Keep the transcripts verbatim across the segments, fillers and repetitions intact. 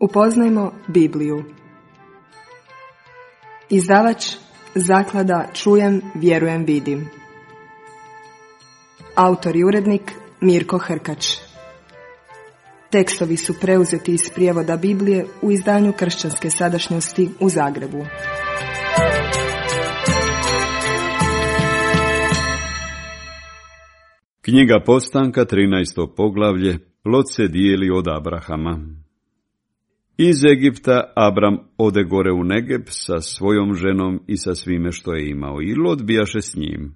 Upoznajmo Bibliju. Izdavač Zaklada Čujem, vjerujem, vidim. Autor i urednik Mirko Hrkač. Tekstovi su preuzeti iz prijevoda Biblije u izdanju Kršćanske sadašnjosti u Zagrebu. Knjiga Postanka, trinaesto poglavlje. Lot se dijeli od Abrahama. Iz Egipta Abram ode gore u Negeb sa svojom ženom i sa svime što je imao, i Lot bijaše s njim.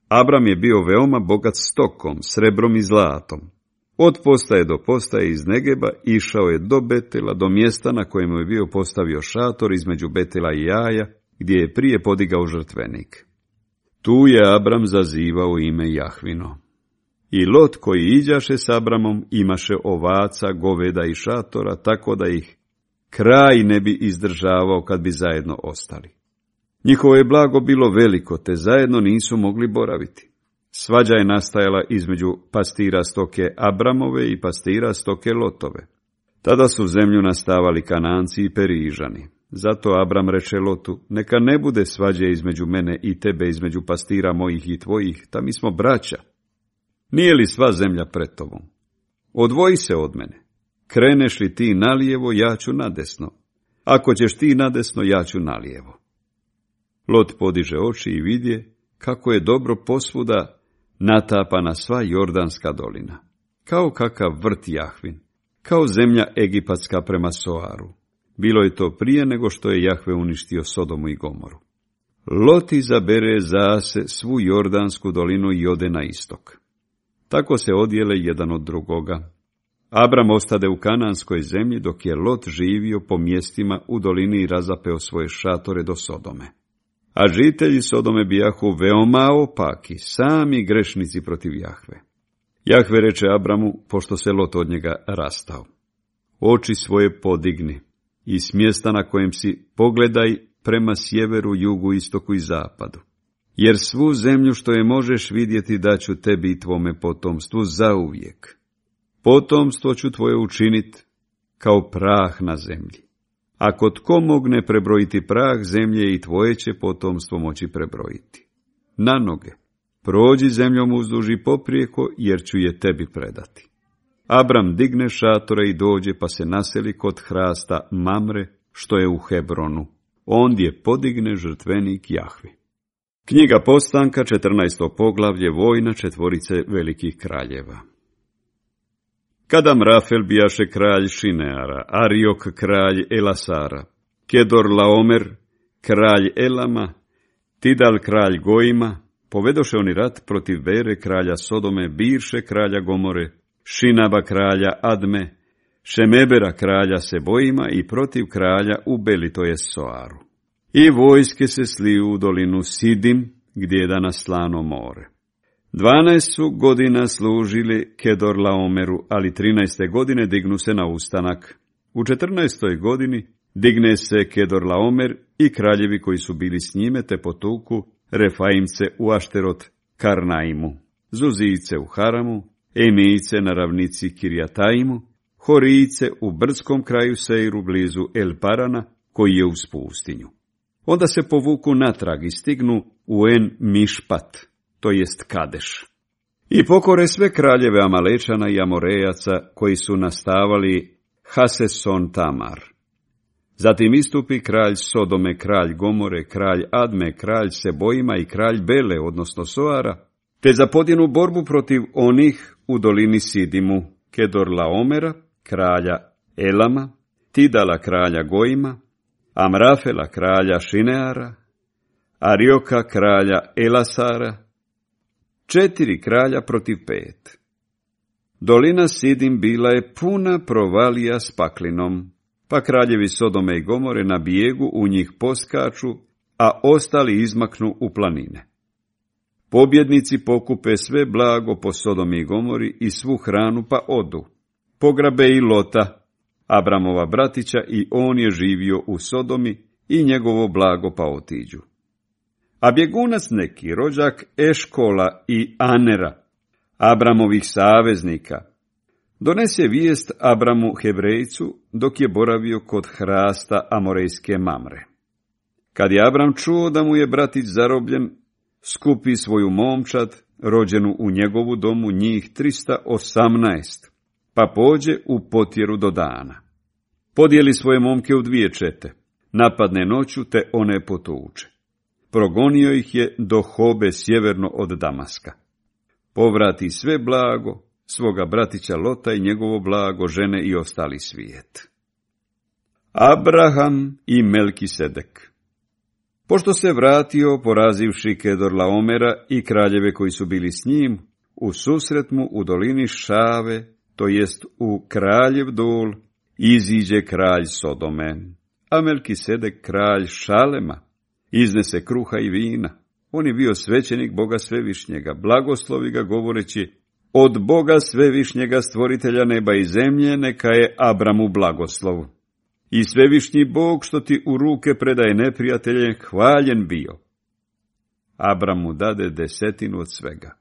Abram je bio veoma bogat stokom, srebrom i zlatom. Od postaje do postaje iz Negeba išao je do Betela, do mjesta na kojemu je bio postavio šator između Betela i Jaja, gdje je prije podigao žrtvenik. Tu je Abram zazivao ime Jahvino. I Lot koji iđaše s Abramom imaše ovaca, goveda i šatora, tako da ih kraj ne bi izdržavao kad bi zajedno ostali. Njihovo je blago bilo veliko, te zajedno nisu mogli boraviti. Svađa je nastajala između pastira stoke Abramove i pastira stoke Lotove. Tada su zemlju nastavali Kananci i Perižani. Zato Abram reče Lotu: neka ne bude svađe između mene i tebe, između pastira mojih i tvojih, ta mi smo braća. Nije li sva zemlja pred tobom? Odvoji se od mene. Kreneš li ti nalijevo, ja ću nadesno. Ako ćeš ti nadesno, ja ću nalijevo. Lot podiže oči i vidje kako je dobro posvuda natapana sva Jordanska dolina. Kao kakav vrt Jahvin, kao zemlja egipatska prema Soaru. Bilo je to prije nego što je Jahve uništio Sodomu i Gomoru. Lot izabere za se svu Jordansku dolinu i ode na istok. Tako se odjele jedan od drugoga. Abram ostade u kananskoj zemlji, dok je Lot živio po mjestima u dolini i razapeo svoje šatore do Sodome. A žitelji Sodome bijahu veoma opaki, sami grešnici protiv Jahve. Jahve reče Abramu, pošto se Lot od njega rastao: oči svoje podigni i s mjesta na kojem si pogledaj prema sjeveru, jugu, istoku i zapadu. Jer svu zemlju što je možeš vidjeti daću tebi i tvome potomstvu zauvijek. Potomstvo ću tvoje učinit kao prah na zemlji. Ako tko mogne prebrojiti prah zemlje, i tvoje će potomstvo moći prebrojiti. Na noge, prođi zemljom uzduž i poprijeko, jer ću je tebi predati. Abram digne šatore i dođe, pa se naseli kod hrasta Mamre, što je u Hebronu. Ondje podigne žrtvenik Jahvi. Knjiga Postanka, četrnaesto poglavlje. Vojna četvorice velikih kraljeva. Kada Amrafel bijaše kralj Šineara, Ariok kralj Elasara, Kedor Laomer kralj Elama, Tidal kralj Gojima, povedoše oni rat protiv Bere kralja Sodome, Birše kralja Gomore, Šinaba kralja Adme, Šemebera kralja Sebojima i protiv kralja u Beli, to je Soaru. I vojske se sliju u dolinu Sidim, gdje je danas Slano more. Dvanaest su godina služili Kedor Laomeru, ali trinaeste godine dignu se na ustanak. U četrnaestoj godini digne se Kedor Laomer i kraljevi koji su bili s njime, te potuku Refaimce u Ašterot Karnaimu, Zuzice u Haramu, Emijice na ravnici Kirjataimu, Horijice u brdskom kraju Seiru blizu El Parana, koji je uz pustinju. Onda se povuku natrag i stignu u En Mišpat, to jest Kadeš. I pokore sve kraljeve Amalečana i Amorejaca koji su nastavali Haseson Tamar. Zatim istupi kralj Sodome, kralj Gomore, kralj Adme, kralj Sebojima i kralj Bele, odnosno Soara, te zapodjenu borbu protiv onih u dolini Sidimu, Kedor Laomera, kralja Elama, Tidala kralja Gojima, Amrafela kralja Šineara, Arioka kralja Elasara, četiri kralja protiv pet. Dolina Sidim bila je puna provalija s paklinom, pa kraljevi Sodome i Gomore na bijegu u njih poskaču, a ostali izmaknu u planine. Pobjednici pokupe sve blago po Sodomi i Gomori i svu hranu, pa odu. Pograbe i Lota, Abramova bratića, i on je živio u Sodomi, i njegovo blago, pa otiđu. A bjegunac neki, rođak Eškola i Anera, Abramovih saveznika, donese vijest Abramu Hebrejcu dok je boravio kod hrasta Amorejske Mamre. Kad je Abram čuo da mu je bratić zarobljen, skupi svoju momčad, rođenu u njegovu domu, njih trista osamnaest, pa pođe u potjeru do dana. Podijeli svoje momke u dvije čete, napadne noću te one potuče. Progonio ih je do Hobe sjeverno od Damaska. Povrati sve blago, svoga bratića Lota i njegovo blago, žene i ostali svijet. Abraham i Melkisedek. Pošto se vratio, porazivši Kedorlaomera i kraljeve koji su bili s njim, u susret mu u dolini Šave, to jest u Kraljev dol, iziđe kralj Sodome, a Melkisedek kralj Šalema, iznese kruha i vina. On je bio svećenik Boga Svevišnjega, blagoslovi ga govoreći: od Boga Svevišnjega, stvoritelja neba i zemlje, neka je Abramu blagoslov. I Svevišnji Bog, što ti u ruke predaje neprijatelje, hvaljen bio. Abram mu dade desetinu od svega.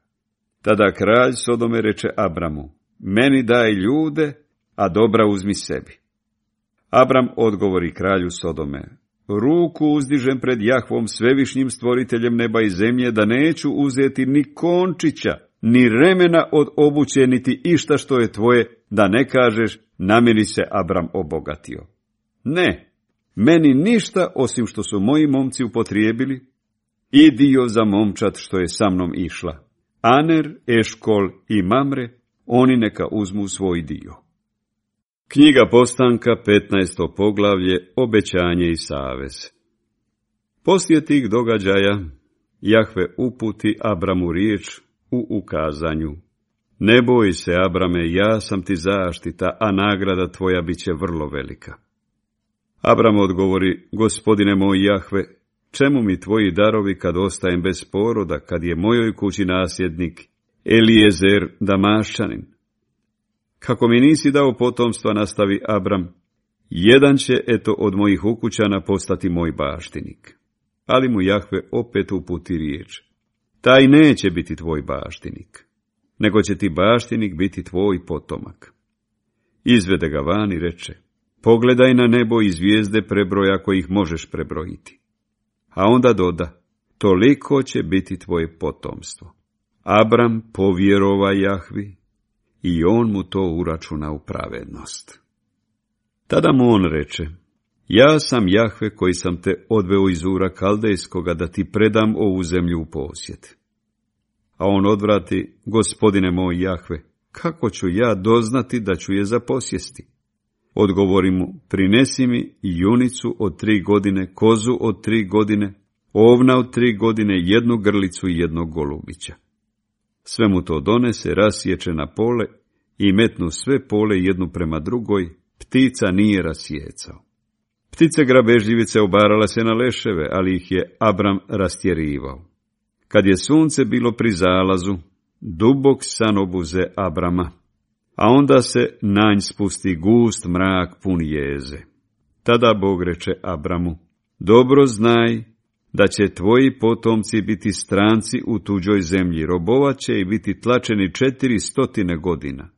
Tada kralj Sodome reče Abramu: meni daj ljude, a dobra uzmi sebi. Abram odgovori kralju Sodome: ruku uzdižem pred Jahvom, Svevišnjim stvoriteljem neba i zemlje, da neću uzeti ni končića, ni remena od obuće, niti išta što je tvoje, da ne kažeš: namiri se Abram obogatio. Ne, meni ništa osim što su moji momci upotrijebili, i dio za momčad što je sa mnom išla. Aner, Eškol i Mamre, oni neka uzmu svoj dio. Knjiga Postanka, petnaesto poglavlje, obećanje i savez. Poslije tih događaja, Jahve uputi Abramu riječ u ukazanju: ne boj se, Abrame, ja sam ti zaštita, a nagrada tvoja bit će vrlo velika. Abram odgovori: gospodine moj Jahve, čemu mi tvoji darovi kad ostajem bez poroda, kad je mojoj kući nasljednik Elijezer Damaščanin? Kako mi nisi dao potomstva, nastavi Abram, jedan će eto od mojih ukućana postati moj baštinik. Ali mu Jahve opet uputi riječ: taj neće biti tvoj baštinik, nego će ti baštinik biti tvoj potomak. Izvede ga van i reče: pogledaj na nebo i zvijezde prebroj ako ih možeš prebrojiti. A onda doda: toliko će biti tvoje potomstvo. Abram povjerova Jahvi i on mu to uračuna u pravednost. Tada mu on reče: ja sam Jahve koji sam te odveo iz Ura Kaldejskoga da ti predam ovu zemlju u posjed. A on odvrati: gospodine moj Jahve, kako ću ja doznati da ću je zaposjesti? Odgovori mu: prinesi mi junicu od tri godine, kozu od tri godine, ovna od tri godine, jednu grlicu i jednog golubića. Sve mu to donese, rasječe na pole i metnu sve pole jednu prema drugoj, ptica nije rasjecao. Ptice grabežljivice obarala se na leševe, ali ih je Abram rastjerivao. Kad je sunce bilo pri zalazu, dubok san obuze Abrama, a onda se na nj spusti gust mrak pun jeze. Tada Bog reče Abramu: dobro znaj da će tvoji potomci biti stranci u tuđoj zemlji, robovaće i biti tlačeni četiri stotine godina.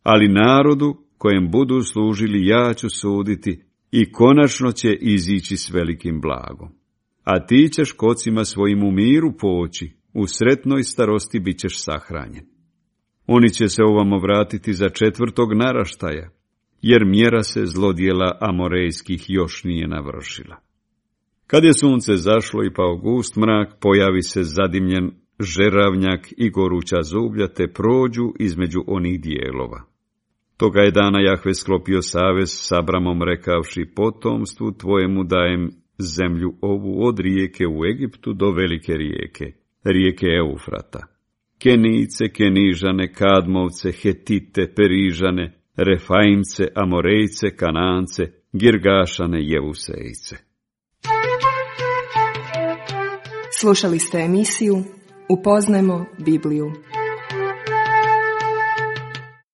Ali narodu kojem budu služili ja ću suditi i konačno će izići s velikim blagom. A ti ćeš kocima svojim u miru poći, u sretnoj starosti bit ćeš sahranjen. Oni će se ovamo vratiti za četvrtog naraštaja, jer mjera se zlodjela Amorejskih još nije navršila. Kad je sunce zašlo i pao gust mrak, pojavi se zadimljen žeravnjak i goruća zublja, te prođu između onih dijelova. Toga je dana Jahve sklopio savez s Abramom, rekavši: potomstvu tvojemu dajem zemlju ovu od rijeke u Egiptu do velike rijeke, rijeke Eufrata. Kenijce, Kenižane, Kadmovce, Hetite, Perižane, Refaimce, Amorejce, Kanance, Girgašane, Jevusejce. Slušali ste emisiju Upoznajmo Bibliju.